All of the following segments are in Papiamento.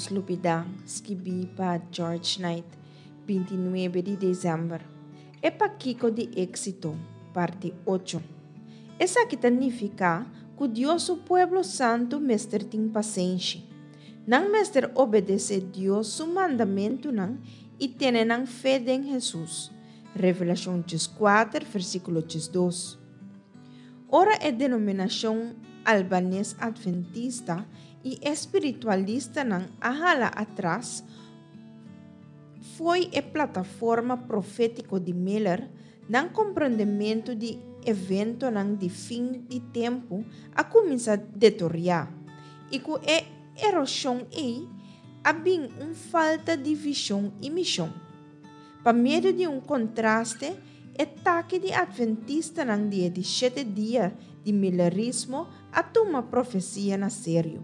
nos lubidá, skibí pa George Knight, 29 di desèmber. E Pakiko di Éksito, parti ocho. Esaki ta nifiká ku Dios su pueblo santu mester tin pasenshi. Nan mester obedesé Dios su mandamentunan i tene nan fe den Hesus. Revelashon 14, versíkulo 12. Ora e denominashon albanes adventista i e spiritualistanan a hala atras fo'i e plataforma profétiko di Miller, nan komprondementu di eventonan di fin di tempu a kuminsá detoriá, i ku e eroshon ei a bin un falta di vishon i mishon. Pa medio di un kontraste, e taki di Atventistanan di e di shete dia di Millerismo a tuma profesia na serio.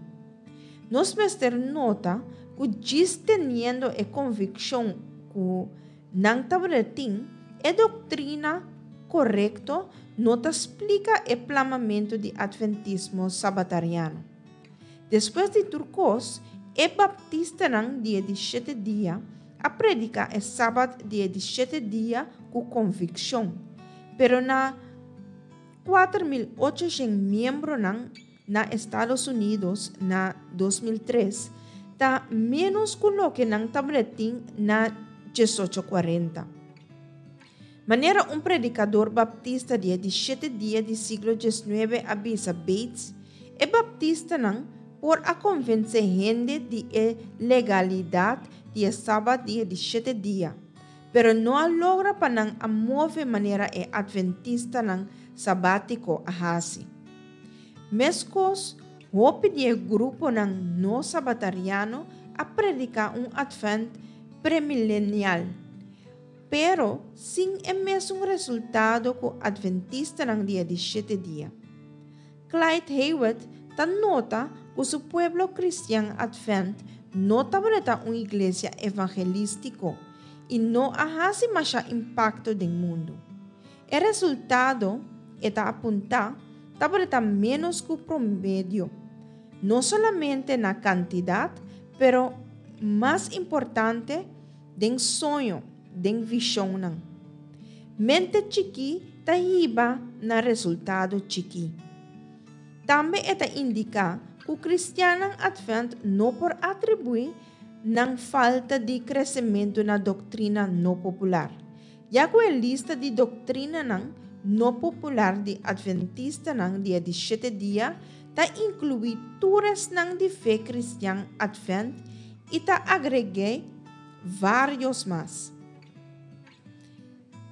Nos mester nota ku djis teniendo e konvikshon ku nan tabata tin, e doktrina korekto no ta splika e plamamentu di Atventismo sabatariano. Despues di tur kos, e baptistanan di e di shete dia a prediká e Sabat di e di shete dia ku konvikshon, pero na 4800 miembronan na Estados Unidos na 2003 ta ménos ku loke nan tabatin na 1840. Manera un predikador baptista di e di shete dia di siglo 19 a bisa Bates, e baptistanan por a konvensé hende di e legalidat di e Sabat di e di shete dia, pero no a logra pa nan a move manera e atventistanan sabátiko a hasi. Meskos, hopi di e gruponan no sabatariano a prediká un Atvènt premilenial, pero sin e mesun resultado ku atventistanan di e di shete dia. Clyde Hewitt ta nota ku su pueblo kristian Atvènt no tabata un iglesia evangelístiko i no a hasi masha impakto den mundu. E resultado, e ta apuntá, tabata ménos ku promedio, no solamente na kantidat, pero mas importante, den soño, den vishonnan. Mente chikí ta hiba na resultado chikí. Tambe e ta indiká ku kristiannan Atvènt no por atribuí nan falta di kresementu na doktrina no popular, ya ku e lista di doktrinanan no popular di atventistanan di e di shete dia ta inkluí tur esnan di fe kristian Atvènt i ta agreg'é vários mas.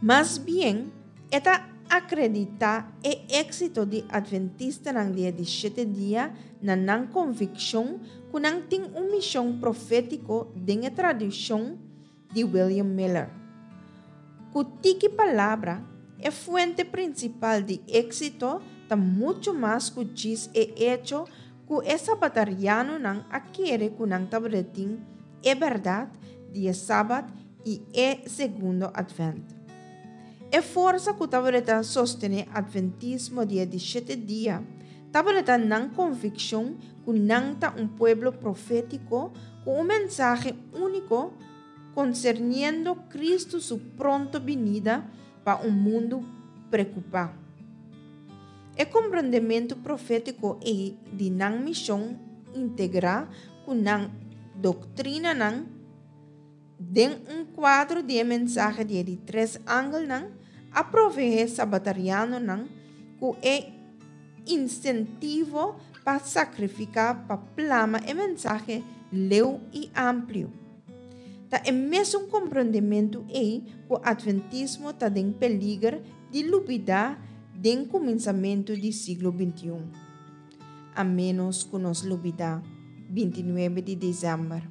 Mas bien, e ta akreditá e éksito di atventistanan di e di shete dia na nan konvikshon ku nan tin un mishon profétiko den e tradishon di William Miller. Ku tiki palabra, e fuente prinsipal di éksito ta muchu mas ku djis e echo ku e sabatarianonan a kere ku nan tabata tin e bèrdat di e Sabat i e Segundo Atvènt. E forsa ku tabata sostené atventismo di e di shete dia tabata nan konvikshon ku nan ta un pueblo profétiko ku un mensahe úniko konserniendo Kristu su pronto binida pa un mundu preokupá. E komprondementu profétiko ei di nan mishon integrá ku nan doktrinanan den un kuadro di e mensahe di e di tres angelnan a proveé sabatarianonan ku e insentivo pa sakrifiká pa plama e mensahe leu i amplio. Ta e mesun komprondementu ei ku atventismo ta den peliger di lubidá den kuminsamentu di siglo 21. A ménos ku nos lubidá 29 di desèmber.